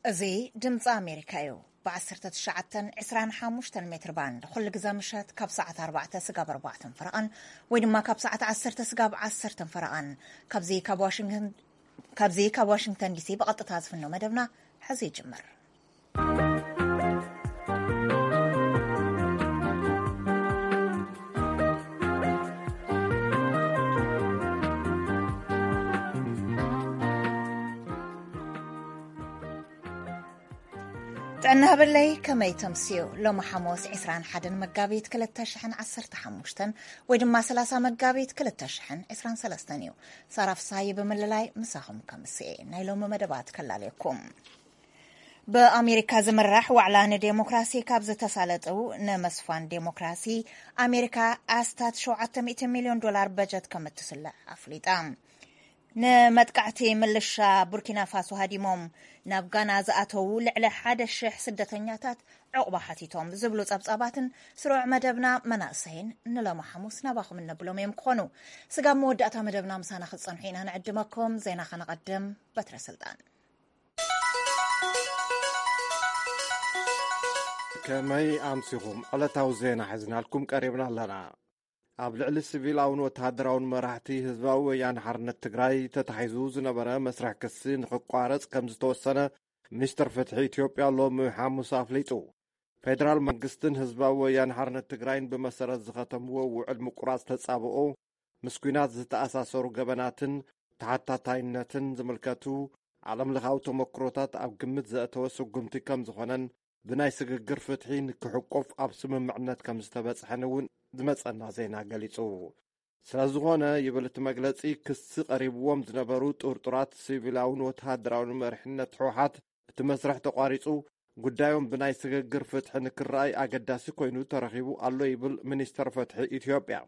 እዚ ድምፂ ኣሜሪካ እዩ። ብ19 25 ሜትር ባንድ ኩሉ ግዜ ምሸት ካብ ሰዓት ኣርባዕተ ስጋብ ኣርባዕተን ፈረቓን ወይ ድማ ካብ ሰዓት ዓሰርተ ስጋብ ዓሰርተን ፈረቓን ካብዚ ካብ ዋሽንግተን ካብዚ ካብ ዋሽንግተን ዲሲ ብቐጥታ ዝፍኖ መደብና ሕዚ ይጅምር። ጥዕና ሃበለይ፣ ከመይ ተምስዩ? ሎሚ ሓሙስ 21 መጋቢት 2015 ወይ ድማ 30 መጋቢት 2023 እዩ። ሳራ ፍሳይ ብምልላይ ምሳኹም ከምስኤ ናይ ሎሚ መደባት ከላለየኩም። ብኣሜሪካ ዝምራሕ ዋዕላ ንዴሞክራሲ ካብ ዝተሳለጡ ንምስፋን ዴሞክራሲ ኣሜሪካ ኣስታት 700 ሚልዮን ዶላር በጀት ከም እትስልዕ ኣፍሊጣ። ንመጥቃዕቲ ምልሻ ቡርኪና ፋሶ ሃዲሞም ናብ ጋና ዝኣተዉ ልዕሊ 1,000 ስደተኛታት ዕቑባ ሓቲቶም ዝብሉ ጸብጻባትን ስሩዕ መደብና መናእሰይን ንሎሚ ሓሙስ ናባኹም እነብሎም እዮም ክኾኑ። ስጋብ መወዳእታ መደብና ምሳና ክትጸንሑ ኢና ንዕድመኩም። ዜና ከነቐድም። በትረ ስልጣን። ከመይ ኣምሲኹም? ዕለታዊ ዜና ሒዝናልኩም ቀሪብና ኣለና። ኣብ ልዕሊ ሲቪላውን ወተሃደራውን መራሕቲ ህዝባዊ ወያነ ሓርነት ትግራይ ተታሒዙ ዝነበረ መስርሕ ክሲ ንኽቋረጽ ከም ዝተወሰነ ሚኒስትር ፍትሒ ኢትዮጵያ ሎሚ ሓሙስ ኣፍሊጡ። ፌደራል መንግስትን ህዝባዊ ወያነ ሓርነት ትግራይን ብመሰረት ዝኸተምዎ ውዕል ምቁራጽ ተጻብኦ ምስ ኲናት ዝተኣሳሰሩ ገበናትን ተሓታታይነትን ዝምልከቱ ዓለምለኻዊ ተመክሮታት ኣብ ግምት ዘእተወ ስጉምቲ ከም ዝኾነን ብናይ ስግግር ፍትሒ ንክሕቆፍ ኣብ ስምምዕነት ከም ዝተበጽሐን እውን ዝመጸና ዜና ገሊጹ። ስለ ዝኾነ ይብል እቲ መግለጺ፣ ክሲ ቀሪብዎም ዝነበሩ ጥርጡራት ሲቪላውን ወተሃደራውን መሪሕነት ህወሓት እቲ መስርሕ ተቋሪጹ ጉዳዮም ብናይ ስግግር ፍትሒ ንክረኣይ ኣገዳሲ ኮይኑ ተረኺቡ ኣሎ ይብል ሚኒስተር ፍትሒ ኢትዮጵያ።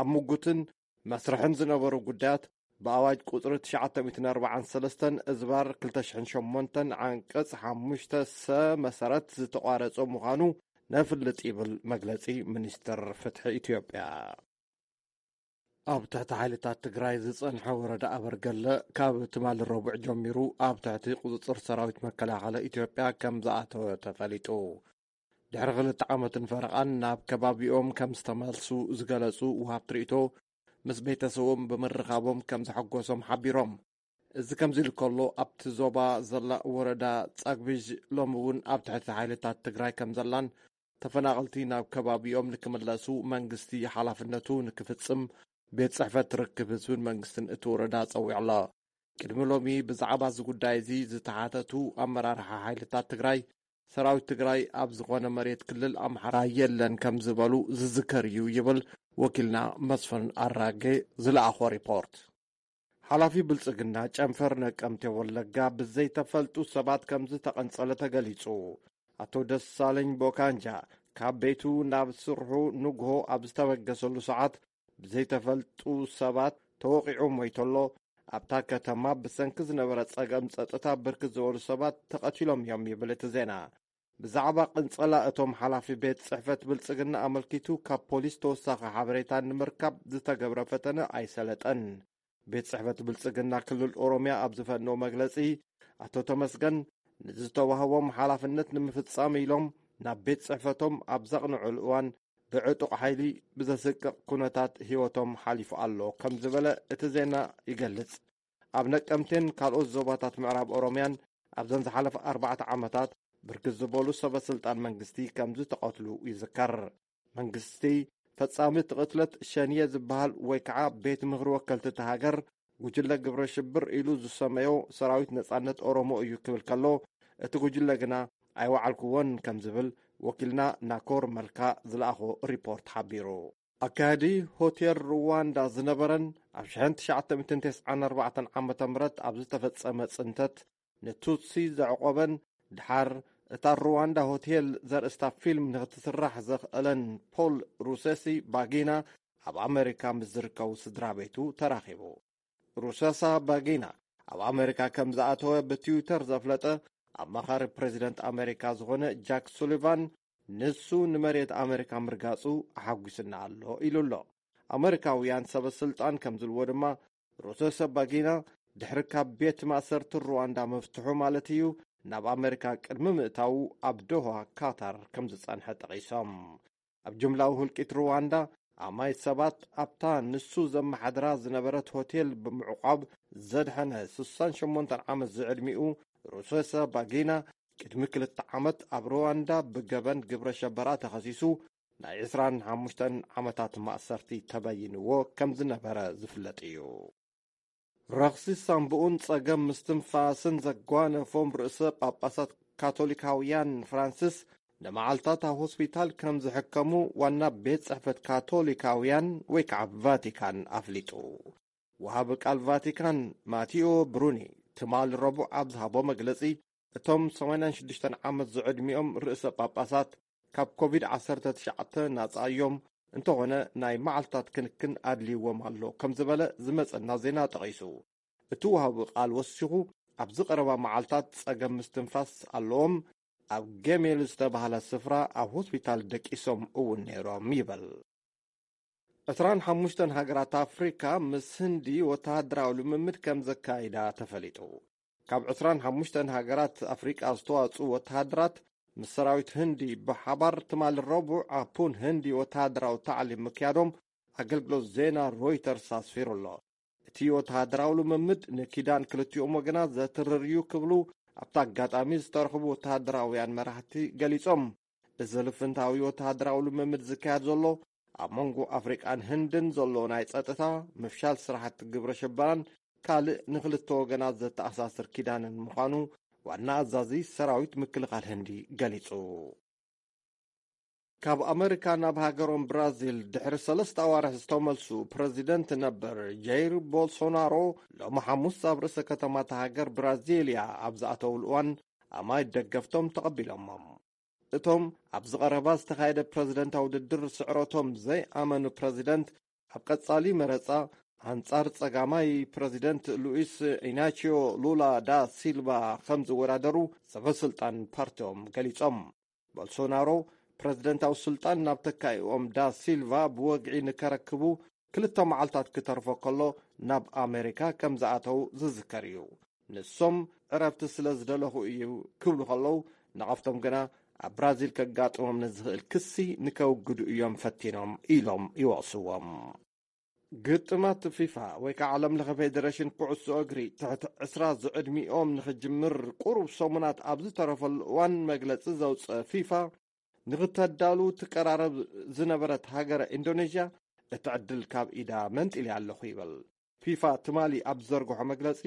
ኣብ ምጉትን መስርሕን ዝነበሩ ጉዳያት ብኣዋጅ ቁጽሪ 943 እዝባር 2008 ዓንቀጽ 5 ሰ መሰረት ዝተቋረጸ ምዃኑ ነፍልጥ ይብል መግለጺ ሚኒስተር ፍትሒ ኢትዮጵያ። ኣብ ትሕቲ ሓይልታት ትግራይ ዝጸንሐ ወረዳ ኣበርገለ ካብ ትማሊ ረቡዕ ጀሚሩ ኣብ ትሕቲ ቁጽጽር ሰራዊት መከላኸሊ ኢትዮጵያ ከም ዝኣተወ ተፈሊጡ። ድሕሪ ክልተ ዓመትን ፈረቓን ናብ ከባቢኦም ከም ዝተመልሱ ዝገለጹ ውሃብቲ ርእይቶ፣ ምስ ቤተሰቦም ብምርኻቦም ከም ዘሐጎሶም ሓቢሮም። እዚ ከምዚ ኢሉ ከሎ፣ ኣብቲ ዞባ ዘላ ወረዳ ጻግብዥ ሎሚ እውን ኣብ ትሕቲ ሓይልታት ትግራይ ከም ዘላን ተፈናቐልቲ ናብ ከባቢኦም ንክምለሱ መንግስቲ ሓላፍነቱ ንክፍጽም ቤት ጽሕፈት ርክብ ህዝብን መንግስትን እቲ ወረዳ ጸዊዑ ኣሎ። ቅድሚ ሎሚ ብዛዕባ እዚ ጉዳይ እዚ ዝተሓተቱ ኣመራርሓ ሓይልታት ትግራይ፣ ሰራዊት ትግራይ ኣብ ዝኾነ መሬት ክልል ኣምሓራ የለን ከም ዝበሉ ዝዝከር እዩ ይብል ወኪልና መስፍን ኣራጌ ዝለኣኾ ሪፖርት። ሓላፊ ብልጽግና ጨንፈር ነቀምቴ ወለጋ ብዘይተፈልጡ ሰባት ከም ዝተቐንጸለ ተገሊጹ። ኣቶ ደሳለኝ ቦካንጃ ካብ ቤቱ ናብ ስርሑ ንግሆ ኣብ ዝተበገሰሉ ሰዓት ብዘይተፈልጡ ሰባት ተወቒዑ ሞይቱ ኣሎ። ኣብታ ከተማ ብሰንኪ ዝነበረ ጸገም ጸጥታ ብርክት ዝበሉ ሰባት ተቐቲሎም እዮም ይብል እቲ ዜና። ብዛዕባ ቅንጸላ እቶም ሓላፊ ቤት ጽሕፈት ብልጽግና ኣመልኪቱ ካብ ፖሊስ ተወሳኺ ሓበሬታ ንምርካብ ዝተገብረ ፈተነ ኣይሰለጠን። ቤት ጽሕፈት ብልጽግና ክልል ኦሮምያ ኣብ ዝፈነው መግለጺ፣ ኣቶ ተመስገን ንዝተዋህቦም ሓላፍነት ንምፍጻም ኢሎም ናብ ቤት ጽሕፈቶም ኣብ ዘቕንዑሉ እዋን ብዕጡቕ ሓይሊ ብዘስቅቕ ኩነታት ህይወቶም ሓሊፉ ኣሎ ከም ዝበለ እቲ ዜና ይገልጽ። ኣብ ነቀምቴን ካልኦት ዞባታት ምዕራብ ኦሮምያን ኣብዘን ዝሓለፈ ኣርባዕተ ዓመታት ብርክት ዝበሉ ሰበ ስልጣን መንግስቲ ከም ዝተቐትሉ ይዝከር። መንግስቲ ፈጻሚ እቲ ቅትለት ሸንየ ዝበሃል ወይ ከዓ ቤት ምኽሪ ወከልቲ እታ ሃገር ጉጅለ ግብረ ሽብር ኢሉ ዝሰመዮ ሰራዊት ነጻነት ኦሮሞ እዩ ክብል ከሎ፣ እቲ ጉጅለ ግና ኣይወዓልኩዎን ከም ዝብል ወኪልና ናኮር መልካ ዝለኣኾ ሪፖርት ሓቢሩ። ኣካያዲ ሆቴል ሩዋንዳ ዝነበረን ኣብ 1994 ዓ ም ኣብ ዝተፈጸመ ጽንተት ንቱትሲ ዘዕቆበን ድሓር እታ ሩዋንዳ ሆቴል ዘርእስታ ፊልም ንክትስራሕ ዘኽእለን ፖል ሩሰሲ ባጊና ኣብ ኣመሪካ ምስ ዝርከቡ ስድራ ቤቱ ተራኺቡ። ሩሰሳ ባጊና ኣብ ኣመሪካ ከም ዝኣተወ ብትዊተር ዘፍለጠ ኣማኻሪ ፕሬዚደንት ኣመሪካ ዝኾነ ጃክ ሱሊቫን፣ ንሱ ንመሬት ኣመሪካ ምርጋጹ ኣሓጒስና ኣሎ ኢሉ ኣሎ። ኣመሪካውያን ሰበ ስልጣን ከም ዝብልዎ ድማ፣ ሩሰሳ ባጊና ድሕሪ ካብ ቤት ማእሰርቲ ሩዋንዳ ምፍትሑ ማለት እዩ፣ ናብ ኣመሪካ ቅድሚ ምእታዉ ኣብ ዶሃ ካታር ከም ዝጸንሐ ጠቒሶም። ኣብ ጅምላዊ ህልቂት ሩዋንዳ ኣማይት ሰባት ኣብታ ንሱ ዘመሓድራ ዝነበረት ሆቴል ብምዕቋብ ዘድሐነ ስሳን ሸሞንተን ዓመት ዝዕድሚኡ ሩሶሰ ባጊና ቅድሚ ክልተ ዓመት ኣብ ሩዋንዳ ብገበን ግብረ ሸበራ ተኸሲሱ ናይ ዕስራን ሓሙሽተን ዓመታት ማእሰርቲ ተበይንዎ ከም ዝነበረ ዝፍለጥ እዩ። ረኽሲ ሳምብኡን ጸገም ምስትንፋስን ዘጓነፎም ርእሰ ጳጳሳት ካቶሊካውያን ፍራንሲስ ንመዓልታት ኣብ ሆስፒታል ከም ዝሕከሙ ዋና ቤት ጽሕፈት ካቶሊካውያን ወይ ከዓ ቫቲካን ኣፍሊጡ። ወሃቢ ቃል ቫቲካን ማቲኦ ብሩኒ ትማሊ ረቡዕ ኣብ ዝሃቦ መግለጺ፣ እቶም ሰማንያን ሽዱሽተን ዓመት ዝዕድሚኦም ርእሰ ጳጳሳት ካብ ኮቪድ ዓሰርተ ትሽዓተ ናጻ እዮም፣ እንተኾነ ናይ መዓልታት ክንክን ኣድልይዎም ኣሎ ከም ዝበለ ዝመጸና ዜና ጠቒሱ። እቲ ወሃቢ ቃል ወሲኹ፣ ኣብዚ ቀረባ መዓልታት ጸገም ምስትንፋስ ኣለዎም፣ ኣብ ጌሜል ዝተባህለ ስፍራ ኣብ ሆስፒታል ደቂሶም እውን ነይሮም ይብል። ዕስራን ሓሙሽተን ሃገራት ኣፍሪካ ምስ ህንዲ ወተሃደራዊ ልምምድ ከም ዘካይዳ ተፈሊጡ። ካብ ዕስራን ሓሙሽተን ሃገራት ኣፍሪቃ ዝተዋጽኡ ወተሃደራት ምስ ሰራዊት ህንዲ ብሓባር ትማሊ ረቡዕ ኣብ ፑን ህንዲ ወተሃደራዊ ታዕሊም ምክያዶም ኣገልግሎት ዜና ሮይተርስ ኣስፊሩ ኣሎ። እቲ ወተሃደራዊ ልምምድ ንኪዳን ክልቲኦም ወገናት ዘትርር እዩ ክብሉ ኣብቲ ኣጋጣሚ ዝተረኽቡ ወተሃደራውያን መራሕቲ ገሊጾም። እዚ ልፍንታዊ ወተሃደራዊ ልምምድ ዝካየድ ዘሎ ኣብ መንጎ ኣፍሪቃን ህንድን ዘሎ ናይ ጸጥታ ምፍሻል ስራሕቲ ግብረ ሽበራን ካልእ ንክልተ ወገናት ዘተኣሳስር ኪዳንን ምዃኑ ዋና ኣዛዚ ሰራዊት ምክልኻል ህንዲ ገሊጹ። ካብ ኣመሪካ ናብ ሃገሮም ብራዚል ድሕሪ ሰለስተ ኣዋርሕ ዝተመልሱ ፕረዚደንት ነበር ጃይር ቦልሶናሮ ሎሚ ሓሙስ ኣብ ርእሰ ከተማ እታ ሃገር ብራዚልያ ኣብ ዝኣተውሉ እዋን ኣማይት ደገፍቶም ተቐቢሎሞም። እቶም ኣብዚ ቀረባ ዝተኻየደ ፕረዚደንታዊ ውድድር ስዕረቶም ዘይኣመኑ ፕረዚደንት ኣብ ቀጻሊ መረጻ ኣንጻር ጸጋማይ ፕረዚደንት ሉኢስ ኢናቺዮ ሉላ ዳ ሲልቫ ከም ዝወዳደሩ ሰበ ስልጣን ፓርቲኦም ገሊጾም። ቦልሶናሮ ፕረዚደንታዊ ስልጣን ናብ ተካኢኦም ዳ ሲልቫ ብወግዒ ንከረክቡ ክልተ መዓልታት ክተርፎ ከሎ ናብ ኣሜሪካ ከም ዝኣተው ዝዝከር እዩ። ንሶም ዕረፍቲ ስለ ዝደለኹ እዩ ክብሉ ከለዉ፣ ንቐፍቶም ግና ኣብ ብራዚል ከጋጥሞም ንዝኽእል ክሲ ንከውግዱ እዮም ፈቲኖም ኢሎም ይወቕስዎም። ግጥማት ፊፋ ወይ ከዓ ዓለም ለኸ ፌዴሬሽን ኩዕሶ እግሪ ትሕቲ ዕስራ ዝዕድሚኦም ንኽጅምር ቁሩብ ሰሙናት ኣብ ዝተረፈሉ እዋን መግለጺ ዘውፅአ ፊፋ ንኽተዳሉ ትቀራረብ ዝነበረት ሃገረ ኢንዶኔዥያ እቲ ዕድል ካብ ኢዳ መንጢልያ ኣለኹ ይብል። ፊፋ ትማሊ ኣብ ዝዘርግሖ መግለጺ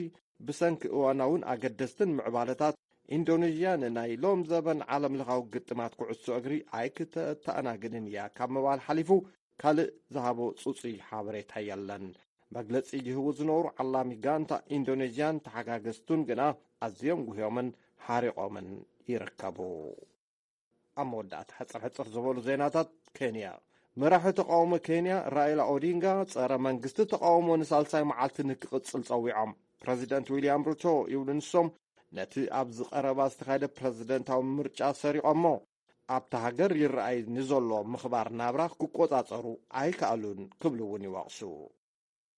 ብሰንኪ እዋናውን ኣገደስትን ምዕባለታት ኢንዶኔዥያ ንናይ ሎም ዘበን ዓለም ለኻዊ ግጥማት ኩዕሶ እግሪ ኣይክተተኣናግድን እያ ካብ ምባል ሓሊፉ ካልእ ዝሃቦ ጽጹይ ሓበሬታ የለን። መግለጺ ይህቡ ዝነበሩ ዓላሚ ጋንታ ኢንዶኔዥያን ተሓጋገዝቱን ግና ኣዝዮም ጉህዮምን ሓሪቖምን ይርከቡ። ኣብ መወዳእታ ሕጽር ሕጽር ዝበሉ ዜናታት ኬንያ። መራሒ ተቃውሞ ኬንያ ራኢላ ኦዲንጋ ጸረ መንግስቲ ተቃውሞ ንሳልሳይ መዓልቲ ንክቕጽል ጸዊዖም። ፕረዚደንት ዊልያም ሩቶ ይብሉ ንሶም ነቲ ኣብዚ ቀረባ ዝተኻየደ ፕረዚደንታዊ ምርጫ ሰሪቖሞ ኣብታ ሃገር ይረኣይ ንዘሎ ምኽባር ናብራ ክቆጻጸሩ ኣይከኣሉን ክብሉ እውን ይወቕሱ።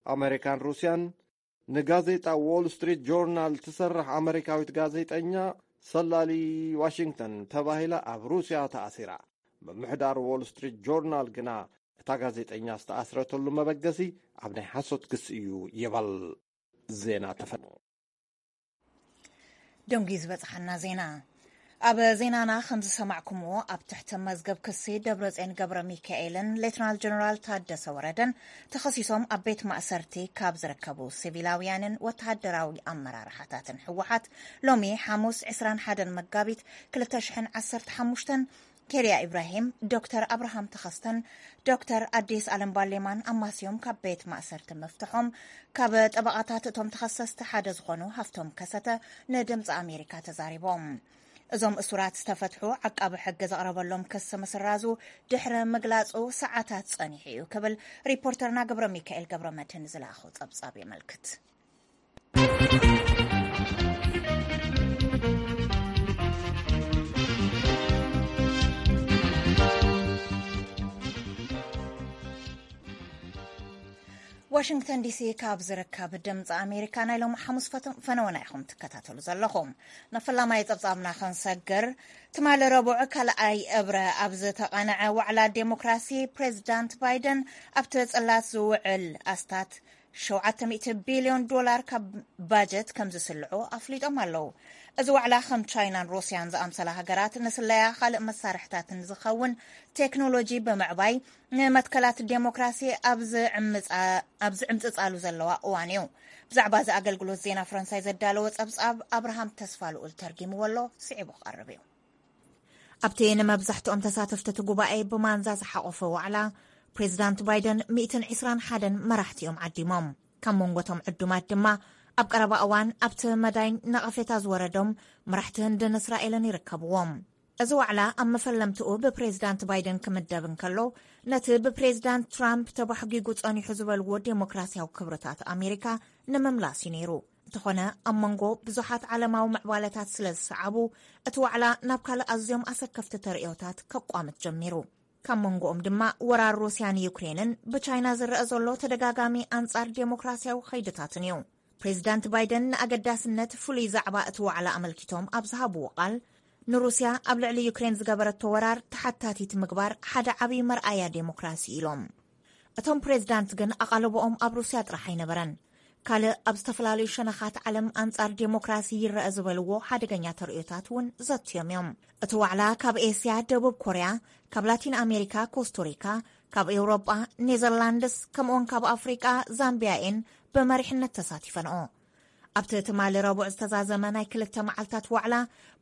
ኣመሪካን ሩስያን ንጋዜጣ ዎል ስትሪት ጆርናል ትሰርሕ ኣመሪካዊት ጋዜጠኛ ሰላሊ ዋሽንግተን ተባሂላ ኣብ ሩስያ ተኣሲራ። ምምሕዳር ዎል ስትሪት ጆርናል ግና እታ ጋዜጠኛ ዝተኣስረተሉ መበገሲ ኣብ ናይ ሓሶት ክሲ እዩ ይበል። ዜና ተፈ ደንጉዩ ዝበጽሓና ዜና። ኣብ ዜናና ከም ዝሰማዕኩምዎ ኣብ ትሕቲ መዝገብ ክሲ ደብረጽዮን ገብረ ሚካኤልን ሌትናል ጀነራል ታደሰ ወረደን ተኸሲሶም ኣብ ቤት ማእሰርቲ ካብ ዝርከቡ ሲቪላውያንን ወተሃደራዊ ኣመራርሓታትን ህወሓት ሎሚ ሓሙስ ዕስራን ሓደን መጋቢት ክልተ ሽሕን ዓሰርተ ሓሙሽተን ኬርያ ኢብራሂም፣ ዶክተር ኣብርሃም ተኸስተን ዶክተር ኣዲስ ኣለም ባሌማን ኣማስዮም ካብ ቤት ማእሰርቲ ምፍትሖም ካብ ጠበቓታት እቶም ተኸሰስቲ ሓደ ዝኾኑ ሃፍቶም ከሰተ ንድምፂ ኣሜሪካ ተዛሪቦም። እዞም እሱራት ዝተፈትሑ ዓቃቢ ሕጊ ዘቕረበሎም ክሲ ምስራዙ ድሕሪ ምግላፁ ሰዓታት ፀኒሑ እዩ ክብል ሪፖርተርና ገብረ ሚካኤል ገብረ መድህን ዝለኣኾ ፀብፃብ የመልክት። ዋሽንግተን ዲሲ ካብ ዝርከብ ድምፂ ኣሜሪካ ናይ ሎም ሓሙስ ፈተ-፣ ፈነወና ኢኹም ትከታተሉ ዘለኹም። ንፈላማይ ፀብፃብና ክንሰግር፣ ትማሊ ረቡዕ ካልኣይ እብረ ኣብ ዝተቐንዐ ዋዕላ ዴሞክራሲ፣ ፕሬዚዳንት ባይደን ኣብቲ ፅላት ዝውዕል ኣስታት ሸውዓተ ሚእቲ ቢልዮን ዶላር ካብ ባጀት ከም ዝስልዑ ኣፍሊጦም ኣለዉ። እዚ ዋዕላ ከም ቻይናን ሩስያን ዝኣምሰላ ሃገራት ንስለያ ካልእ መሳርሕታትን ዝኸውን ቴክኖሎጂ ብምዕባይ ንመትከላት ዴሞክራሲ ኣብ ዝዕምጻ-፣ ኣብ ዝዕምጽጻሉ ዘለዋ እዋን እዩ። ብዛዕባ እዚ ኣገልግሎት ዜና ፈረንሳይ ዘዳለወ ጸብጻብ ኣብርሃም ተስፋ ልኡል ተርጊምዎ ኣሎ፣ ስዒቡ ክቐርብ እዩ። ኣብቲ ንመብዛሕትኦም ተሳተፍቲ እቲ ጉባኤ ብማንዛ ዝሓቖፈ ዋዕላ፣ ፕሬዚዳንት ባይደን ሚእትን ዕስራን ሓደን መራሕቲ እዮም ዓዲሞም። ካብ መንጎ እቶም ዕዱማት ድማ ኣብ ቀረባ እዋን ኣብቲ መዳይ ነቐፌታ ዝወረዶም መራሕቲ ህንድን እስራኤልን ይርከብዎም። እዚ ዋዕላ ኣብ መፈለምትኡ ብፕሬዚዳንት ባይደን ክምደብ እንከሎ፣ ነቲ ብፕሬዚዳንት ትራምፕ ተባሕጊጉ ጸኒሑ ዝበልዎ ዴሞክራሲያዊ ክብርታት ኣሜሪካ ንምምላስ እዩ ነይሩ። እንተኾነ፣ ኣብ መንጎ ብዙሓት ዓለማዊ ምዕባለታት ስለ ዝሰዓቡ፣ እቲ ዋዕላ ናብ ካልእ ኣዝዮም ኣሰከፍቲ ተርእዮታት ከቋምት ጀሚሩ። ካብ መንጎኦም ድማ ወራር ሩስያ ንዩክሬንን ብቻይና ዝረአ ዘሎ ተደጋጋሚ ኣንጻር ዴሞክራሲያዊ ኸይድታትን እዩ። ፕሬዚዳንት ባይደን ንኣገዳስነት ፍሉይ ዛዕባ እቲ ዋዕላ ኣመልኪቶም ኣብ ዝሃብዎ ቃል፣ ንሩስያ ኣብ ልዕሊ ዩክሬን ዝገበረቶ ወራር ተሓታቲት ምግባር ሓደ ዓብዪ መርኣያ ዴሞክራሲ ኢሎም። እቶም ፕሬዚዳንት ግን ኣቓልቦኦም ኣብ ሩስያ ጥራሕ ኣይነበረን። ካልእ ኣብ ዝተፈላለዩ ሸነኻት ዓለም ኣንጻር ዴሞክራሲ ይረአ ዝበልዎ ሓደገኛ ተርእዮታት እውን ዘትዮም እዮም። እቲ ዋዕላ ካብ ኤስያ፣ ደቡብ ኮርያ፣ ካብ ላቲን ኣሜሪካ፣ ኮስቶሪካ፣ ካብ ኤውሮጳ፣ ኔዘርላንድስ፣ ከምኡውን ካብ ኣፍሪቃ፣ ዛምቢያ እየን ብመሪሕነት ተሳቲፈንኦ። ኣብቲ ትማሊ ረቡዕ ዝተዛዘመ ናይ ክልተ መዓልታት ዋዕላ፣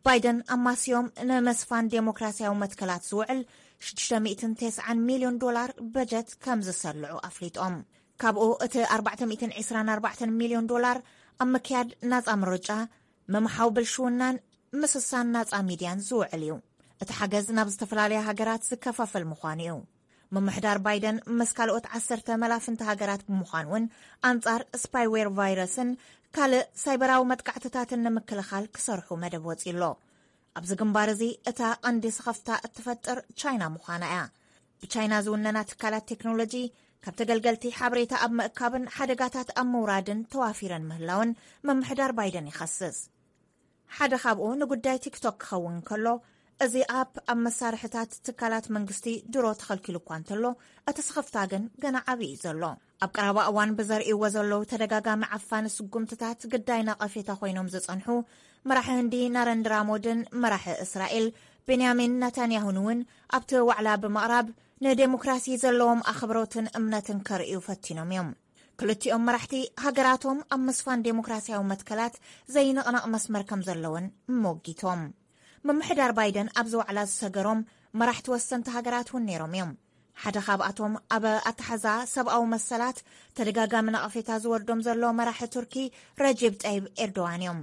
ባይደን ኣማስዮም ንምስፋን ዴሞክራሲያዊ መትከላት ዝውዕል ሽዱሽተ ሚእትን ተስዓን ሚልዮን ዶላር በጀት ከም ዝሰልዑ ኣፍሊጦም። ካብኡ እቲ ኣርባዕተ ሚእትን ዕስራን ኣርባዕተን ሚልዮን ዶላር ኣብ ምክያድ ናጻ ምርጫ፣ ምምሓው ብልሽውናን ምስሳን ናጻ ሚድያን ዝውዕል እዩ። እቲ ሓገዝ ናብ ዝተፈላለያ ሃገራት ዝከፋፈል ምዃኑ እዩ። ምምሕዳር ባይደን ምስ ካልኦት ዓሰርተ መላፍንቲ ሃገራት ብምዃን እውን ኣንጻር ስፓይዌር ቫይረስን ካልእ ሳይበራዊ መጥቃዕትታትን ንምክልኻል ክሰርሑ መደብ ወጺኡ ኣሎ። ኣብዚ ግንባር እዚ እታ ቀንዲ ስኸፍታ እትፈጥር ቻይና ምዃና እያ። ብቻይና ዝውነና ትካላት ቴክኖሎጂ ካብ ተገልገልቲ ሓበሬታ ኣብ ምእካብን ሓደጋታት ኣብ ምውራድን ተዋፊረን ምህላውን ምምሕዳር ባይደን ይኸስስ። ሓደ ካብኡ ንጉዳይ ቲክቶክ ክኸውን ከሎ፣ እዚ ኣፕ ኣብ መሳርሕታት ትካላት መንግስቲ ድሮ ተኸልኪሉ እኳ እንተሎ፣ እቲ ስኽፍታ ግን ገና ዓቢ እዩ ዘሎ። ኣብ ቀረባ እዋን ብዘርእይዎ ዘለዉ ተደጋጋሚ ዓፋኒ ስጉምትታት ግዳይ ነቐፌታ ኮይኖም ዝጸንሑ መራሒ ህንዲ ናረንድራ ሞድን መራሒ እስራኤል ቤንያሚን ነታንያሁን እውን ኣብቲ ዋዕላ ብምቕራብ ንዴሞክራሲ ዘለዎም ኣኽብሮትን እምነትን ከርእዩ ፈቲኖም እዮም። ክልቲኦም መራሕቲ ሃገራቶም ኣብ ምስፋን ዴሞክራሲያዊ መትከላት ዘይንቕነቕ መስመር ከም ዘለወን ሞጊቶም። ምምሕዳር ባይደን ኣብዚ ዋዕላ ዝሰገሮም መራሕቲ ወሰንቲ ሃገራት እውን ነይሮም እዮም። ሓደ ካብኣቶም ኣብ ኣተሓዛ ሰብኣዊ መሰላት ተደጋጋሚ ነቐፌታ ዝወርዶም ዘሎ መራሒ ቱርኪ ረጀብ ጠይብ ኤርዶዋን እዮም።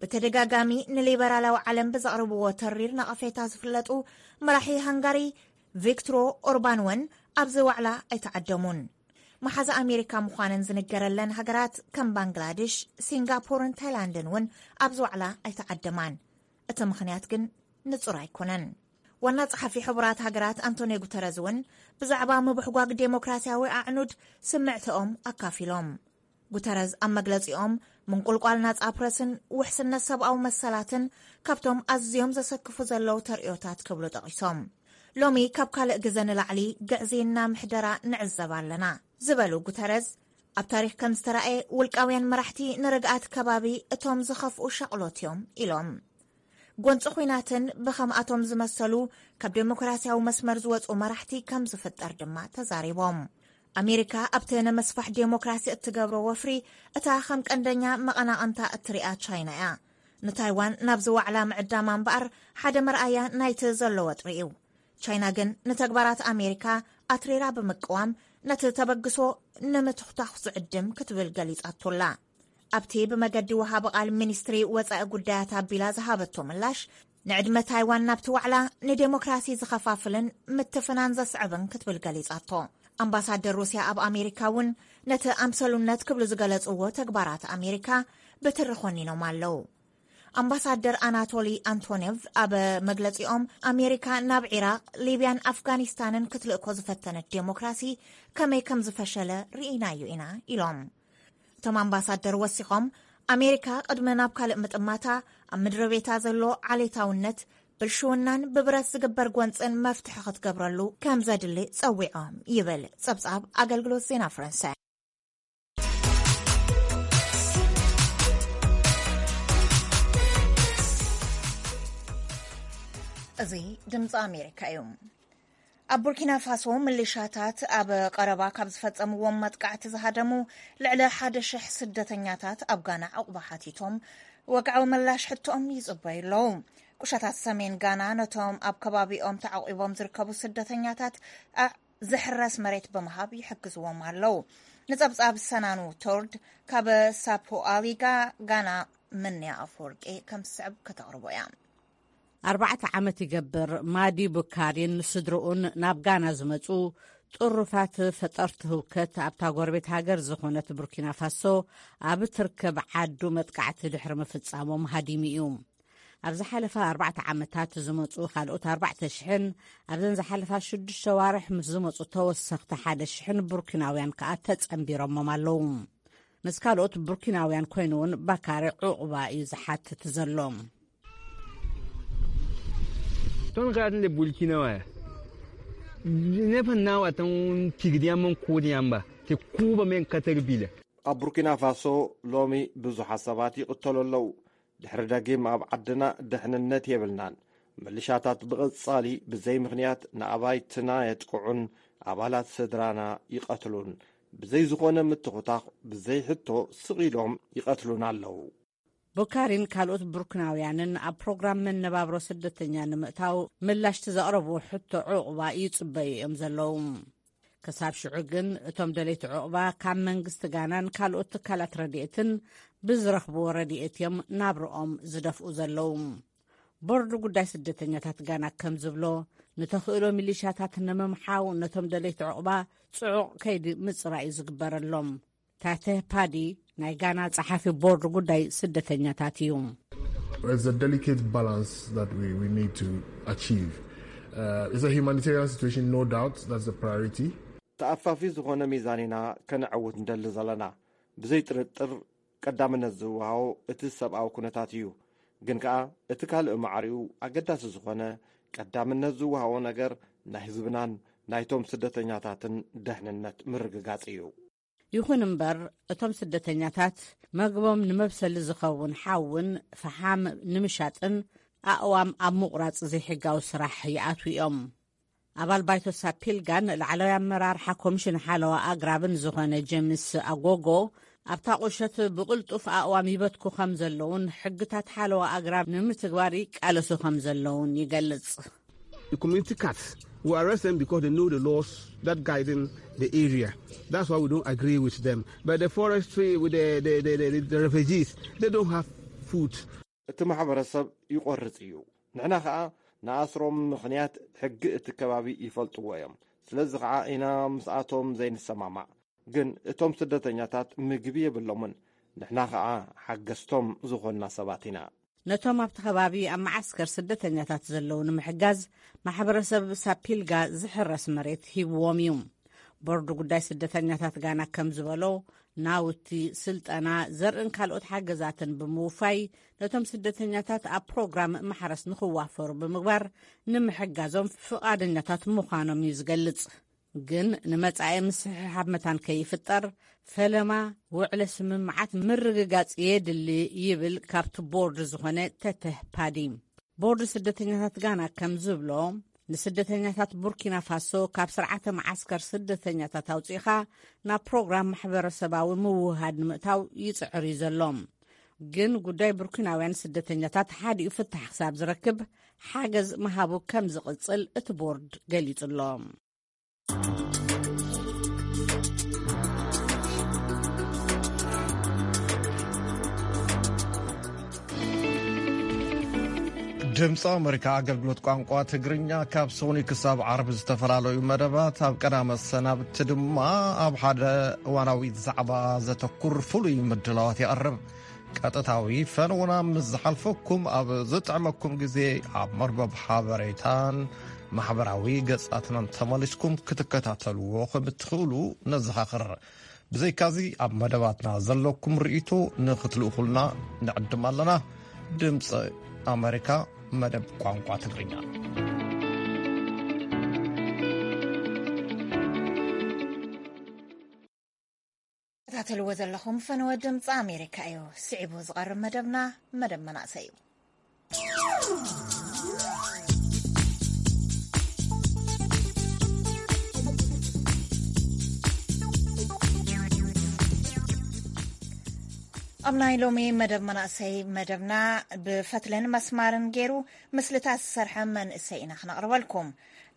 ብተደጋጋሚ ንሊበራላዊ ዓለም ብዘቕርብዎ ተሪር ነቐፌታ ዝፍለጡ መራሒ ሃንጋሪ ቪክትሮ ኦርባን እውን ኣብዚ ዋዕላ ኣይተዓደሙን። መሓዛ ኣሜሪካ ምዃነን ዝንገረለን ሃገራት ከም ባንግላዴሽ፣ ሲንጋፖርን ታይላንድን እውን ኣብዚ ዋዕላ ኣይተዓደማን። እቲ ምኽንያት ግን ንጹር ኣይኮነን። ዋና ጸሓፊ ሕቡራት ሃገራት ኣንቶኒዮ ጉተረዝ እውን ብዛዕባ ምብሕጓግ ዴሞክራሲያዊ ኣዕኑድ ስምዕተኦም ኣካፊሎም። ጉተረዝ ኣብ መግለጺኦም፣ ምንቁልቋል ናጻ ፕረስን ውሕስነት ሰብኣዊ መሰላትን ካብቶም ኣዝዮም ዘሰክፉ ዘለዉ ተርእዮታት ክብሉ ጠቒሶም። ሎሚ ካብ ካልእ ግዘ ንላዕሊ ግዕዝይና ምሕደራ ንዕዘብ ኣለና ዝበሉ ጉተረዝ፣ ኣብ ታሪኽ ከም ዝተራእየ ውልቃውያን መራሕቲ ንርግኣት ከባቢ እቶም ዝኸፍኡ ሻቕሎት እዮም ኢሎም። ጎንፂ ኹናትን ብኸምኣቶም ዝመሰሉ ካብ ዴሞክራሲያዊ መስመር ዝወፁ መራሕቲ ከም ዝፍጠር ድማ ተዛሪቦም። ኣሜሪካ ኣብቲ ንምስፋሕ ዴሞክራሲ እትገብሮ ወፍሪ እታ ከም ቀንደኛ መቐናቕንታ እትሪኣ ቻይና እያ። ንታይዋን ናብዚ ዋዕላ ምዕዳማ እምበኣር ሓደ መርኣያ ናይቲ ዘሎ ወጥሪ እዩ። ቻይና ግን ንተግባራት ኣሜሪካ ኣትሪራ ብምቅዋም ነቲ ተበግሶ ንምትኹታኹ ዝዕድም ክትብል ገሊጻቶላ። ኣብቲ ብመገዲ ወሃቢ ቃል ሚኒስትሪ ወጻኢ ጉዳያት ኣቢላ ዝሃበቶ ምላሽ፣ ንዕድመ ታይዋን ናብቲ ዋዕላ ንዴሞክራሲ ዝኸፋፍልን ምትፍናን ዘስዕብን ክትብል ገሊጻቶ። ኣምባሳደር ሩስያ ኣብ ኣሜሪካ እውን ነቲ ኣምሰሉነት ክብሉ ዝገለጽዎ ተግባራት ኣሜሪካ ብትሪ ኮኒኖም ኣለዉ። ኣምባሳደር ኣናቶሊ ኣንቶኔቭ ኣብ መግለጺኦም፣ ኣሜሪካ ናብ ዒራቕ፣ ሊብያን ኣፍጋኒስታንን ክትልእኮ ዝፈተነት ዴሞክራሲ ከመይ ከም ዝፈሸለ ርኢናዮ ኢና ኢሎም። እቶም ኣምባሳደር ወሲኾም፣ ኣሜሪካ ቅድሚ ናብ ካልእ ምጥማታ፣ ኣብ ምድሪ ቤታ ዘሎ ዓሌታውነት፣ ብልሽውናን ብብረት ዝግበር ጎንጽን መፍትሒ ክትገብረሉ ከም ዘድሊ ጸዊዖም ይብል ጸብጻብ ኣገልግሎት ዜና ፈረንሳይ። እዚ ድምፂ ኣሜሪካ እዩ። ኣብ ቡርኪና ፋሶ፣ ምልሻታት ኣብ ቀረባ ካብ ዝፈጸምዎም መጥቃዕቲ ዝሃደሙ ልዕሊ ሓደ ሽሕ ስደተኛታት ኣብ ጋና ዕቑባ ሓቲቶም፣ ወግዓዊ ምላሽ ሕቶኦም ይጽበዩ ኣለዉ። ቁሸታት ሰሜን ጋና ነቶም ኣብ ከባቢኦም ተዓቑቦም ዝርከቡ ስደተኛታት ኣ-፣ ዝሕረስ መሬት ብምሃብ ይሕግዝዎም ኣለዉ። ንጸብጻብ ሰናኑ ቶርድ ካብ ሳፖ ኣሊጋ ጋና፣ ምንያ ኣፈወርቂ ከም ዝስዕብ ከተቕርቦ እያ። ኣርባዕተ ዓመት ይገብር ማዲ ቡካሪን ስድርኡን ናብ ጋና ዝመጹ ጥሩፋት ፈጠርቲ ህውከት ኣብታ ጎረቤት ሃገር ዝኾነት ቡርኪና ፋሶ ኣብ ትርከብ ዓዱ መጥቃዕቲ ድሕሪ ምፍጻሞም ሃዲሙ እዩ። ኣብ ዝሓለፈ ኣርባዕተ ዓመታት ዝመጹ ካልኦት ኣርባዕተ ሽሕን ኣብዘን ዝሓለፋ ሽዱሽተ ዋርሕ ምስ ዝመጹ ተወሰኽቲ ሓደ ሽሕን ቡርኪናውያን ከኣ ተጸንቢሮሞም ኣለዉ። ምስ ካልኦት ቡርኪናውያን ኮይኑ እውን ባካሪ ዕቑባ እዩ ዝሓትት ዘሎ። Ton ka ne Burkina wa. Ne fa na wa tan tigdiya man ko diyan ba. Te kuba men katar bila. ኣብ ቡርኪና ፋሶ ሎሚ ብዙሓት ሰባት ይቕተሉ ኣለዉ። ድሕሪ ደጊም ኣብ ዓድና ድሕንነት የብልናን። ምልሻታት ብቐጻሊ ብዘይ ምኽንያት ንኣባይትና የጥቅዑን ኣባላት ስድራና ይቐትሉን። ብዘይ ዝኾነ ምትኹታኽ፣ ብዘይ ሕቶ ስቕ ኢሎም ይቐትሉና ኣለዉ። ቡካሪን ካልኦት ቡርኪናውያንን ኣብ ፕሮግራም መነባብሮ ስደተኛ ንምእታው ምላሽቲ ዘቕረብዎ ሕቶ ዕቑባ ይጽበዩ እዮም ዘለዉ። ክሳብ ሽዑ ግን እቶም ደለይቲ ዕቑባ ካብ መንግስቲ ጋናን ካልኦት ትካላት ረድኤትን ብዝረኽብዎ ረድኤት እዮም ናብርኦም ዝደፍኡ ዘለዉ። ቦርድ ጉዳይ ስደተኛታት ጋና ከም ዝብሎ፣ ንተኽእሎ ሚሊሻታት ንምምሓው ነቶም ደለይቲ ዕቑባ ጽዑቕ ከይዲ ምጽራይ እዩ ዝግበረሎም። ታተ ፓዲ ናይ ጋና ጸሓፊ ቦርድ ጉዳይ ስደተኛታት እዩ። It's a delicate balance that we, we need to achieve. Uh, it's a humanitarian situation, no doubt, that's the priority. ተኣፋፊ ዝኾነ ሚዛን ኢና ከነዕውት ንደሊ ዘለና። ብዘይ ጥርጥር ቀዳምነት ዝወሃቦ እቲ ሰብኣዊ ኩነታት እዩ። ግን ከኣ እቲ ካልእ ማዕሪኡ ኣገዳሲ ዝኾነ ቀዳምነት ዝወሃቦ ነገር ናይ ህዝብናን ናይቶም ስደተኛታትን ደሕንነት ምርግጋጽ እዩ። ይኹን እምበር፣ እቶም ስደተኛታት መግቦም ንመብሰሊ ዝኸውን ሓውን ፈሓም ንምሻጥን ኣእዋም ኣብ ምቑራጽ ዘይሕጋዊ ስራሕ ይኣትዉ እዮም። ኣባል ባይቶ ሳፒልጋን ላዕለዋይ ኣመራርሓ ኮሚሽን ሓለዋ ኣግራብን ዝኾነ ጀምስ ኣጎጎ፣ ኣብታ ቁሸት ብቕልጡፍ ኣእዋም ይበትኩ ከም ዘለውን ሕግታት ሓለዋ ኣግራብ ንምትግባር ይቃለሱ ከም ዘለውን ይገልጽ። The community cats, we arrest them because they know the laws that guiding the area. That's why we don't agree with them. But the forestry, with the, the, the, the, the refugees, they don't have food. እቲ ማሕበረሰብ ይቖርጽ እዩ። ንሕና ኸኣ ንኣስሮም ምኽንያት ሕጊ እቲ ከባቢ ይፈልጥዎ እዮም። ስለዚ ኸኣ ኢና ምስኣቶም ዘይንሰማማዕ። ግን እቶም ስደተኛታት ምግቢ የብሎምን። ንሕና ኸኣ ሓገዝቶም ዝኾንና ሰባት ኢና። ነቶም ኣብቲ ከባቢ ኣብ መዓስከር ስደተኛታት ዘለዉ ንምሕጋዝ ማሕበረሰብ ሳፒልጋ ዝሕረስ መሬት ሂብዎም እዩ። ቦርድ ጉዳይ ስደተኛታት ጋና ከም ዝበሎ፣ ናውቲ፣ ስልጠና፣ ዘርእን ካልኦት ሓገዛትን ብምውፋይ ነቶም ስደተኛታት ኣብ ፕሮግራም ማሕረስ ንኽዋፈሩ ብምግባር ንምሕጋዞም ፍቓደኛታት ምዃኖም እዩ ዝገልጽ። ግን ንመጻኢ ምስሕሓብ መታን ከይፍጠር ፈለማ ውዕለ ስምምዓት ምርግጋጽ የድሊ ይብል ካብቲ ቦርድ ዝኾነ ተተህ ፓዲ። ቦርድ ስደተኛታት ጋና ከም ዝብሎ፣ ንስደተኛታት ቡርኪና ፋሶ ካብ ስርዓተ መዓስከር ስደተኛታት ኣውጺእኻ ናብ ፕሮግራም ማሕበረሰባዊ ምውህሃድ ንምእታው ይጽዕር እዩ ዘሎ። ግን ጉዳይ ቡርኪናውያን ስደተኛታት ሓዲኡ ፍታሕ ክሳብ ዝረክብ ሓገዝ ምሃቡ ከም ዝቕጽል እቲ ቦርድ ገሊጹ ኣሎ። ድምፂ ኣመሪካ ኣገልግሎት ቋንቋ ትግርኛ ካብ ሶኒ ክሳብ ዓርቢ ዝተፈላለዩ መደባት፣ ኣብ ቀዳመ ሰናብቲ ድማ ኣብ ሓደ እዋናዊ ዛዕባ ዘተኩር ፍሉይ ምድላዋት የቕርብ። ቀጥታዊ ፈነውና ምስ ዝሓልፈኩም፣ ኣብ ዝጥዕመኩም ግዜ ኣብ መርበብ ሓበሬታን ማሕበራዊ ገጻትናን ተመሊስኩም ክትከታተልዎ ከም እትኽእሉ ነዘኻኽር። ብዘይካዚ፣ ኣብ መደባትና ዘለኩም ርእይቶ ንኽትልእኹልና ንዕድም ኣለና። ድምፂ ኣሜሪካ፣ መደብ ቋንቋ ትግርኛ። ተከታተልዎ ዘለኹም ፈነወ ድምፂ ኣሜሪካ እዩ። ስዒቡ ዝቐርብ መደብና መደብ መናእሰይ እዩ። ኣብ ናይ ሎሚ መደብ መናእሰይ መደብና ብፈትልን መስማርን ገይሩ ምስልታት ዝሰርሐ መንእሰይ ኢና ክነቕርበልኩም።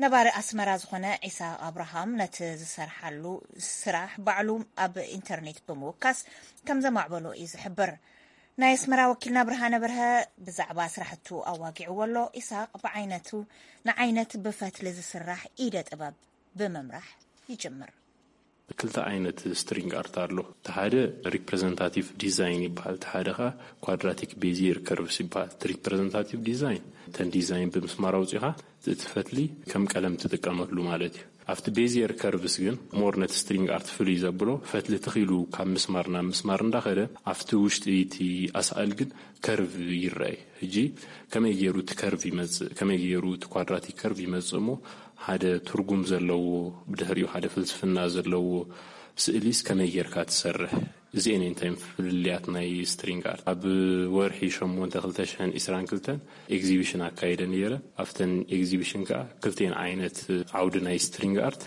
ነባሪ ኣስመራ ዝኾነ ዒሳቕ ኣብርሃም ነቲ ዝሰርሓሉ ስራሕ ባዕሉ ኣብ ኢንተርኔት ብምውካስ ከም ዘማዕበሎ እዩ ዝሕብር። ናይ ኣስመራ ወኪልና ብርሃነ በርሀ ብዛዕባ ስራሕቱ ኣዋጊዕዎ ኣሎ። ኢሳቕ ብዓይነቱ ንዓይነት ብፈትሊ ዝስራሕ ኢደ ጥበብ ብምምራሕ ይጅምር። ክልተ ዓይነት ስትሪንግ ኣርት ኣሎ። እቲ ሓደ ሪፕሬዘንታቲቭ ዲዛይን ይበሃል፣ እቲ ሓደ ኸዓ ኳድራቲክ ቤዚየር ከርቭስ ይበሃል። እቲ ሪፕሬዘንታቲቭ ዲዛይን እተን ዲዛይን ብምስማር ኣውፂኻ እቲ ፈትሊ ከም ቀለም ትጥቀመሉ ማለት እዩ። ኣብቲ ቤዚየር ከርቭስ ግን ሞር ነቲ ስትሪንግ ኣርት ፍሉይ ዘብሎ፣ ፈትሊ ትኺሉ ካብ ምስማር ናብ ምስማር እንዳኸደ ኣብቲ ውሽጢ እቲ ኣስኣል ግን ከርቭ ይረኣይ። ሕጂ ከመይ ገይሩ እቲ ከርቭ ይመጽእ፣ ከመይ ገይሩ እቲ ኳድራቲክ ከርቭ ይመጽእ እሞ ሓደ ትርጉም ዘለዎ፣ ብድሕሪኡ ሓደ ፍልስፍና ዘለዎ ስእሊስ ከመይ ጌርካ ትሰርሕ? እዚኤን እንታይ ፍልልያት ናይ ስትሪንግ ኣርት። ኣብ ወርሒ ሸሞንተ ክልተ ሽሕን ዕስራን ክልተን ኤግዚቢሽን ኣካይደ ነይረ። ኣብተን ኤግዚቢሽን ከኣ ክልቴን ዓይነት ዓውዲ ናይ ስትሪንግ ኣርት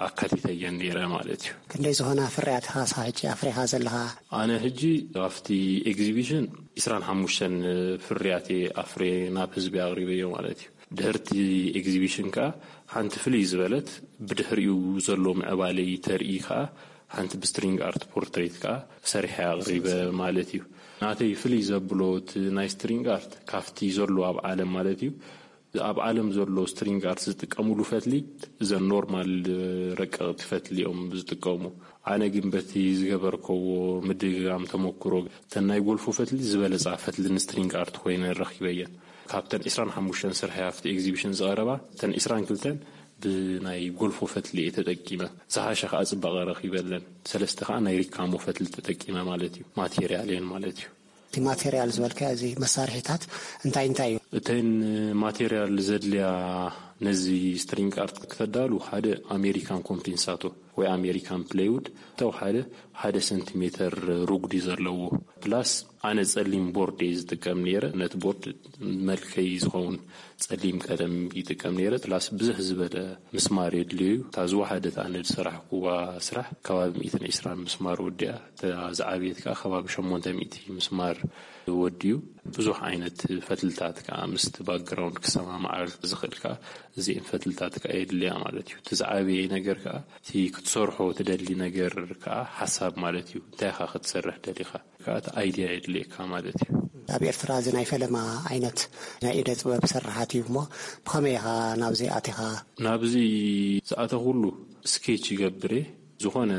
ኣካቲተየን ነይረ ማለት እዩ። ክንደይ ዝኾና ፍርያት ኢኻ ሕጂ ኣፍሪኻ ዘለኻ? ኣነ ሕጂ ኣብቲ ኤግዚቢሽን ዕስራን ሓሙሽተን ፍርያት እየ ኣፍርየ ናብ ህዝቢ ኣቕሪበዮ ማለት እዩ። ድሕርቲ ኤግዚቢሽን ከኣ ሓንቲ ፍልይ ዝበለት ብድሕሪኡ ዘሎ ምዕባለይ ተርኢ ከኣ ሓንቲ ብስትሪንግ ኣርት ፖርትሬት ከኣ ሰሪሐ ኣቕሪበ ማለት እዩ። ናተይ ፍልይ ዘብሎ እቲ ናይ ስትሪንግ ኣርት ካብቲ ዘሎ ኣብ ዓለም ማለት እዩ፣ ኣብ ዓለም ዘሎ ስትሪንግ ኣርት ዝጥቀሙሉ ፈትሊ እዘን ኖርማል ረቀቕቲ ፈትሊ እዮም ዝጥቀሙ። ኣነ ግን በቲ ዝገበርክዎ ምድግጋም ተመክሮ እተን ናይ ጎልፎ ፈትሊ ዝበለጻ ፈትሊ ንስትሪንግ ኣርት ኮይነ ረኺበየን። ካብተን ዕስራን ሓሙሽተን ስርሐይ ኣብቲ ኤግዚቢሽን ዝቐረባ እተን ዕስራን ክልተን ብናይ ጎልፎ ፈትሊ እየ ተጠቂመ። ዝሓሸ ከዓ ጽባቐ ረኺበለን። ሰለስተ ከዓ ናይ ሪካሞ ፈትሊ ተጠቂመ ማለት እዩ። ማቴሪያል እየን ማለት እዩ። እቲ ማቴሪያል ዝበልካዮ፣ እዚ መሳርሒታት እንታይ እንታይ እዩ? እተን ማቴሪያል ዘድልያ ነዚ ስትሪንግ ኣርት ክተዳሉ ሓደ ኣሜሪካን ኮምፔንሳቶ ወይ ኣሜሪካን ፕሌይውድ፣ ተው ሓደ ሓደ ሰንቲሜተር ሩጉዲ ዘለዎ ፕላስ ኣነ ጸሊም ቦርድ እየ ዝጥቀም ነይረ። ነቲ ቦርድ መልከይ ዝኸውን ጸሊም ቀለም ይጥቀም ነይረ። ፕላስ ብዝሕ ዝበለ ምስማር የድልዮ እዩ። እታ ዝወሓደት ኣነ ዝሰራሕኩዋ ስራሕ ከባቢ ሚእትን ዕስራን ምስማር ወዲኣ፣ እታ ዝዓበየት ከኣ ከባቢ ሸሞንተ ሚእቲ ምስማር ወዲኡ። ብዙሕ ዓይነት ፈትልታት ከኣ ምስቲ ባክግራውንድ ክሰማማዓል ዝኽእል ከኣ እዚኤን ፈትልታት ከኣ የድልያ ማለት እዩ። እቲ ዝዓበየ ነገር ከኣ እቲ ክትሰርሖ ትደሊ ነገር ከኣ ሓሳብ ማለት እዩ። እንታይ ኢኻ ክትሰርሕ ደሊኻ? ከኣ እቲ ኣይድያ የድልየካ ማለት እዩ። ኣብ ኤርትራ እዚ ናይ ፈለማ ዓይነት ናይ ኢደ ጥበብ ስርሓት እዩ እሞ ብኸመይ ኢኻ ናብዚ ኣቲኻ? ናብዚ ዝኣተኹሉ ስኬች ይገብር እየ። ዝኾነ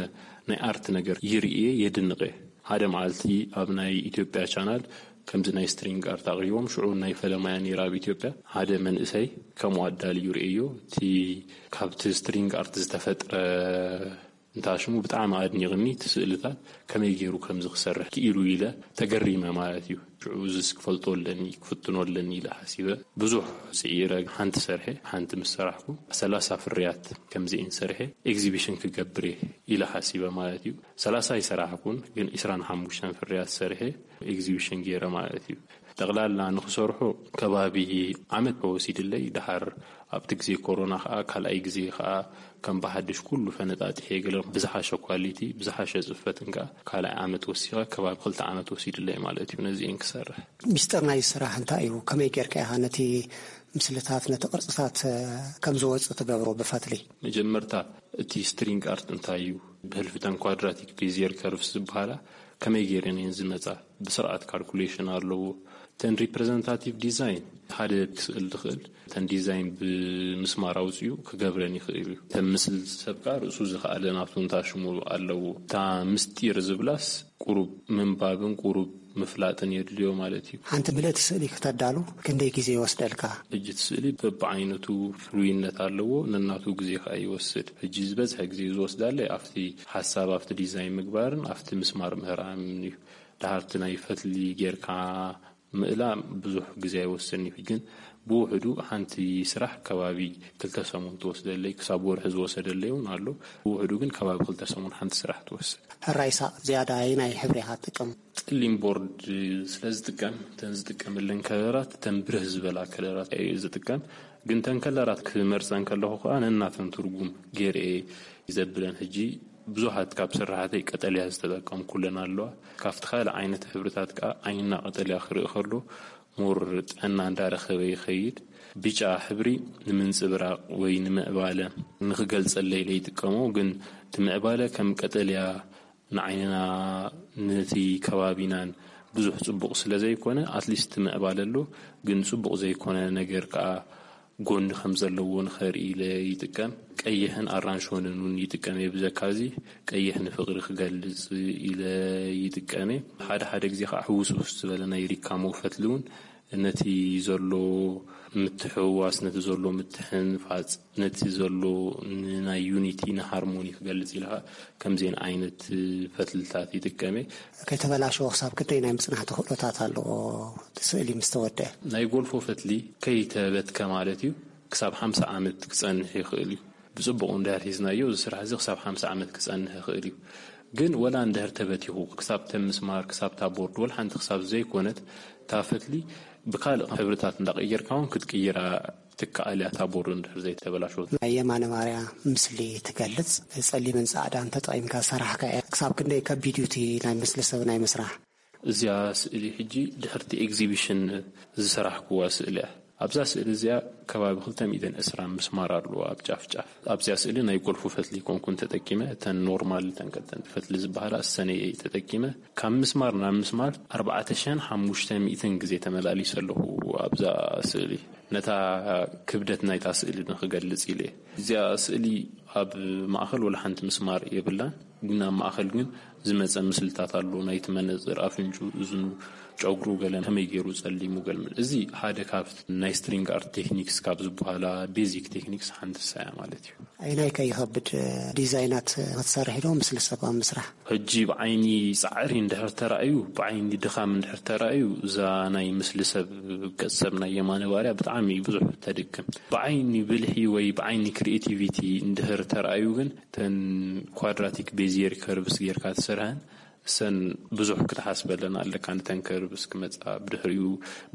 ናይ ኣርት ነገር ይርኢ እየ፣ የድንቕ እየ። ሓደ መዓልቲ ኣብ ናይ ኢትዮጵያ ቻናል ከምዚ ናይ ስትሪንግ ኣርት ኣቕሪቦም፣ ሽዑ ናይ ፈለማያ ነይራ ኣብ ኢትዮጵያ። ሓደ መንእሰይ ከምኡ ኣዳልዩ ርእዮ፣ እቲ ካብቲ ስትሪንግ ኣርት ዝተፈጥረ እንታ ሽሙ ብጣዕሚ ኣድኒቕኒ፣ እቲ ስእልታት ከመይ ገይሩ ከምዚ ክሰርሕ ክኢሉ ኢለ ተገሪመ ማለት እዩ። ሽዑ እዚስ ክፈልጦ ኣለኒ፣ ክፍትኖ ኣለኒ ኢለ ሓሲበ። ብዙሕ ስዒረ ሓንቲ ሰርሐ፣ ሓንቲ ምስ ሰራሕኩ ሰላሳ ፍርያት ከምዚኤን ሰርሐ ኤግዚቢሽን ክገብር እየ ኢለ ሓሲበ ማለት እዩ። ሰላሳ ኣይሰራሕኩን፣ ግን ዕስራን ሓሙሽተን ፍርያት ሰርሐ ኤግዚቢሽን ገይረ ማለት እዩ። ጠቕላላ ንኽሰርሖ ከባቢ ዓመት ወሲድለይ። ድሓር ኣብቲ ግዜ ኮሮና ኸኣ ካልኣይ ግዜ ኸኣ ከም ብሓድሽ ኩሉ ፈነጣጢሐ ገለ ብዝሓሸ ኳሊቲ፣ ብዝሓሸ ጽፈትን ከኣ ካልኣይ ዓመት ወሲኸ ከባቢ ክልተ ዓመት ወሲድለይ ማለት እዩ ነዚኤን ክሰርሕ። ሚስጥር ናይ ስራሕ እንታይ እዩ? ከመይ ጌርካ ኢኻ ነቲ ምስልታት፣ ነቲ ቅርጽታት፣ እ፣ ከም ዝወጽእ ትገብሮ ብፈትሊ? መጀመርታ እቲ ስትሪንግ ኣርት እንታይ እዩ? ብህልፊተን ኳድራቲክ ቤዚየር ከርቭስ ዝበሃላ ከመይ ገይረን እየን ዝመጻ? ብስርዓት ካልኩሌሽን ኣለዎ። እተን ሪፕሬዘንታቲቭ ዲዛይን ሓደ ክስእል ዝኽእል እተን ዲዛይን ብምስማር ኣውፅኡ ክገብረን ይኽእል እዩ። እተን ምስል ሰብ ከዓ ርእሱ ዝኸኣለ ናቱ እንታ ሽሙ ኣለዎ። እታ ምስጢር ዝብላስ ቁሩብ ምንባብን ቁሩብ ምፍላጥን የድልዮ ማለት እዩ። ሓንቲ ምልእቲ ስእሊ ክተዳሉ ክንደይ ግዜ ይወስደልካ? ሕጂ እቲ ስእሊ በብዓይነቱ ፍሉይነት ኣለዎ፣ ነናቱ ግዜ ከዓ ይወስድ። ሕጂ ዝበዝሐ ግዜ ዝወስዳለይ ኣብቲ ሓሳብ፣ ኣብቲ ዲዛይን ምግባርን ኣብቲ ምስማር ምህራምን እዩ። ድሓርቲ ናይ ፈትሊ ጌርካ ምእላ ብዙሕ ግዜ ኣይወስድን እዩ። ግን ብውሕዱ ሓንቲ ስራሕ ከባቢ ክልተ ሰሙን ትወስደለይ፣ ክሳብ ወርሒ ዝወሰደለይ እውን ኣሎ። ብውሕዱ ግን ከባቢ ክልተ ሰሙን ሓንቲ ስራሕ ትወስድ። ሕራይ ሳቕ ዝያዳ ኣየናይ ሕብሪ ኢኻ ትጥቀም? ጸሊም ቦርድ ስለ ዝጥቀም፣ እተን ዝጥቀመለን ከለራት እተን ብርህ ዝበላ ከለራት እየ ዝጥቀም። ግን እተን ከለራት ክመርጸን ከለኹ ከኣ ነናተን ትርጉም ገይረ እየ ዘብለን። ሕጂ ብዙሓት ካብ ስራሓተይ ቀጠልያ ዝተጠቀምኩለን ኣለዋ። ካብቲ ካልእ ዓይነት ሕብርታት ከኣ ዓይንና ቀጠልያ ክርኢ ከሎ ሞር ጥዕና እንዳረኸበ ይኸይድ። ብጫ ሕብሪ ንምንጽብራቕ ወይ ንምዕባለ ንኽገልጸለይ ኢለ ይጥቀሞ፣ ግን እቲ ምዕባለ ከም ቀጠልያ ንዓይንና ነቲ ከባቢናን ብዙሕ ጽቡቕ ስለ ዘይኮነ፣ ኣትሊስት ምዕባለ ኣሎ፣ ግን ጽቡቕ ዘይኮነ ነገር ከኣ ጎኒ ከም ዘለዎ ንኸርኢ ኢለ ይጥቀም። ቀይሕን ኣራንሾንን እውን ይጥቀም እየ። ብዘካዚ ቀይሕ ንፍቕሪ ክገልጽ ኢለ ይጥቀም እየ። ሓደ ሓደ ግዜ ከዓ ሕውስውስ ዝበለ ናይ ሪካሞ ፈትሊ እውን ነቲ ዘሎ ምትሕውዋስ፣ ነቲ ዘሎ ምትሕንፋጽ፣ ነቲ ዘሎ ንናይ ዩኒቲ ንሃርሞኒ ክገልጽ ኢለ ከዓ ከምዚአን ዓይነት ፈትልታት ይጥቀም እየ። ከይተበላሸወ ክሳብ ክንደይ ናይ ምጽናሕ ተኽእሎታት ኣለዎ እቲ ስእሊ ምስ ተወደአ? ናይ ጎልፎ ፈትሊ ከይተበትከ ማለት እዩ፣ ክሳብ ሓምሳ ዓመት ክጸንሕ ይኽእል እዩ። ብጽቡቕ እንድሕር ሒዝናዮ፣ እዚ ስራሕ እዚ ክሳብ ሓምሳ ዓመት ክጸንሕ ይኽእል እዩ። ግን ወላ እንድሕር ተበቲኹ፣ ክሳብ ተን ምስማር፣ ክሳብ እታ ቦርድ፣ ወላ ሓንቲ ክሳብ ዘይኮነት፣ እታ ፈትሊ ብካልእ ሕብርታት እንዳቐየርካ እውን ክትቅይራ ትከኣል እያ፣ እታ ቦርድ እንድሕር ዘይተበላሸወት። ናይ የማነ ማርያ ምስሊ ትገልጽ፣ ጸሊምን ጻዕዳን ተጠቒምካ ዝሰራሕካ እያ። ክሳብ ክንደይ ከቢድ እዩ እቲ ናይ ምስሊ ሰብ ናይ ምስራሕ? እዚኣ ስእሊ ሕጂ ድሕርቲ ኤግዚቢሽን ዝሰራሕኩዋ ስእሊ እያ። ኣብዛ ስእሊ እዚኣ ከባቢ ክልተ ሚእትን ዕስራን ምስማር ኣለዎ ኣብ ጫፍ ጫፍ። ኣብዚኣ ስእሊ ናይ ጎልፎ ፈትሊ ኣይኮንኩን ተጠቂመ፣ እተን ኖርማል፣ እተን ቀጠንቲ ፈትሊ ዝበሃላ እሰን እየ ተጠቂመ። ካብ ምስማር ናብ ምስማር ኣርባዕተ ሽሕን ሓሙሽተ ሚእትን ግዜ ተመላሊሰ ኣለኹ ኣብዛ ስእሊ። ነታ ክብደት ናይታ ስእሊ ንክገልጽ ኢለ እየ። እዚኣ ስእሊ ኣብ ማእኸል ወላ ሓንቲ ምስማር የብላን፣ ግን ኣብ ማእኸል ግን ዝመጸ ምስልታት ኣሎ። ናይቲ መነጽር፣ ኣፍንጩ፣ እዝኑ፣ ጨጉሩ፣ ገለ ከመይ ገይሩ ጸሊሙ፣ ገለ መለ። እዚ ሓደ ካብ ናይ ስትሪንግ ኣርት ቴክኒክስ ካብ ዝበሃላ ቤዚክ ቴክኒክስ ሓንቲ እሳ እያ ማለት እዩ። ኣየናይ ከ ይኸብድ፣ ዲዛይናት ክትሰርሕ ዶ፣ ምስሊ ሰብ ኣብ ምስራሕ? ሕጂ ብዓይኒ ጻዕሪ እንድሕር ተራእዩ፣ ብዓይኒ ድኻም እንድሕር ተራእዩ፣ እዛ ናይ ምስሊ ሰብ፣ ገጽ ሰብ ናይ የማነ ባርያ ብጣዕሚ ብዙሕ ተድክም። ብዓይኒ ብልሒ ወይ ብዓይኒ ክሪኤቲቪቲ እንድሕር ተራእዩ ግን፣ እተን ኳድራቲክ ቤዚየር ከርቭስ ጌርካ ትሰርሐን፣ እሰን ብዙሕ ክትሓስበለን ኣለካ። ንተን ከርቭስ ክመጻ፣ ብድሕሪኡ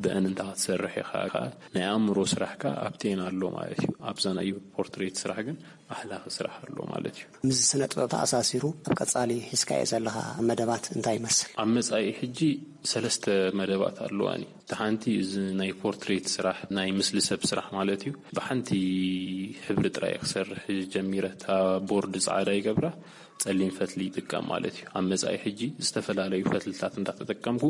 ብአን እንታ ክትሰርሕ ኢኻ። ናይ ኣእምሮ ስራሕካ ኣብተን ኣሎ ማለት እዩ። ኣብዛ ናይ ፖርትሬት ስራሕ ግን ኣሕላኺ ስራሕ ኣሎ ማለት እዩ። ምስ ስነ ጥበብ ተኣሳሲሩ ኣብ ቀጻሊ ሒዝካዮ ዘለኻ መደባት እንታይ ይመስል? ኣብ መጻኢ ሕጂ ሰለስተ መደባት ኣለዋኒ። እቲ ሓንቲ እዚ ናይ ፖርትሬት ስራሕ፣ ናይ ምስሊ ሰብ ስራሕ ማለት እዩ። ብሓንቲ ሕብሪ ጥራይ ክሰርሕ ጀሚረ። እታ ቦርድ ጻዕዳ ይገብራ፣ ጸሊም ፈትሊ ይጥቀም ማለት እዩ። ኣብ መጻኢ ሕጂ ዝተፈላለዩ ፈትልታት እንዳተጠቀምኩ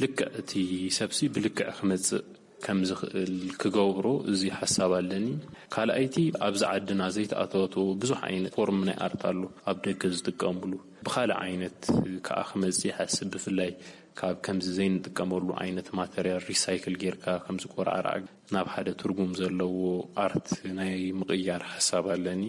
ልክዕ እቲ ሰብሲ ብልክዕ ክመጽእ ከም ዝኽእል ክገብሮ እዚ ሓሳብ ኣለኒ። ካልኣይቲ፣ ኣብዚ ዓድና ዘይተኣታተወ ብዙሕ ዓይነት ፎርም ናይ ኣርት ኣሎ ኣብ ደገ ዝጥቀምሉ። ብኻልእ ዓይነት ከኣ ክመጽእ ይሓስብ፣ ብፍላይ ካብ ከምዚ ዘይንጥቀመሉ ዓይነት ማተርያል ሪሳይክል ጌርካ፣ ከምዚ ቆርዓራዕ ናብ ሓደ ትርጉም ዘለዎ ኣርት ናይ ምቕያር ሓሳብ ኣለኒ።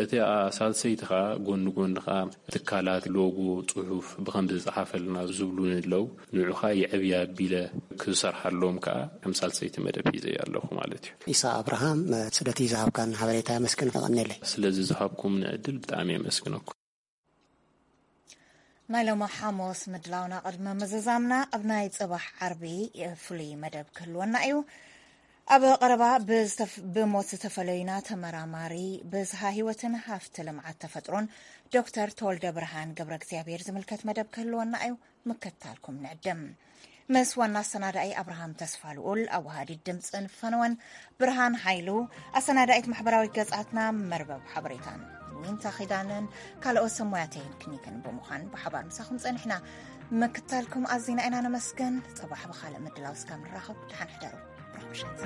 እቲ ሳልሰይቲ ኸኣ፣ ጎኒ ጎኒ ኸኣ ትካላት ሎጎ፣ ጽሑፍ ብኸምዚ ዝጸሓፈልና ዝብሉኒ ኣለዉ። ንዑኻ የዕብያ ኣቢለ ክሰርሓሎም ከኣ ከም ሳልሰይቲ መደብ ሒዘ ኣለኹ ማለት እዩ። ኢሳ ኣብርሃም፣ ስለቲ ዝሃብካን ሓበሬታ የመስግን፣ የቐንየለይ። ስለዚ ዝሃብኩምኒ ዕድል ብጣዕሚ የመስግነኩም። ናይ ሎሚ ሓሙስ ምድላውና ቅድሚ ምዝዛምና፣ ኣብ ናይ ጽባሕ ዓርቢ ፍሉይ መደብ ክህልወና እዩ። ኣብ ቀረባ ብዝተፍ-፣ ብሞት ዝተፈለዩና ተመራማሪ ብዝሃ ህይወትን ሃፍቲ ልምዓት ተፈጥሮን ዶክተር ተወልደ ብርሃን ገብረ እግዚኣብሔር ዝምልከት መደብ ክህልወና እዩ። ምክታልኩም ንዕድም። ምስ ዋና ኣሰናዳኢ ኣብርሃም ተስፋ ልኡል፣ ኣወሃዲት ድምፅን ፈነወን ብርሃን ሓይሉ፣ ኣሰናዳኢት ማሕበራዊ ገጻትና መርበብ ሓበሬታን ዊንታ ኺዳነን ካልኦት ሰብ ሞያ ቴክኒክን ብምዃን ብሓባር ምሳኹም ጸኒሕና። ምክታልኩም ኣዚና ኢና ነመስግን። ጽባሕ ብኻልእ ምድላው እስካብ ንራኸብ ደሓን ሕደሩ። ብሩኽ ምሸት።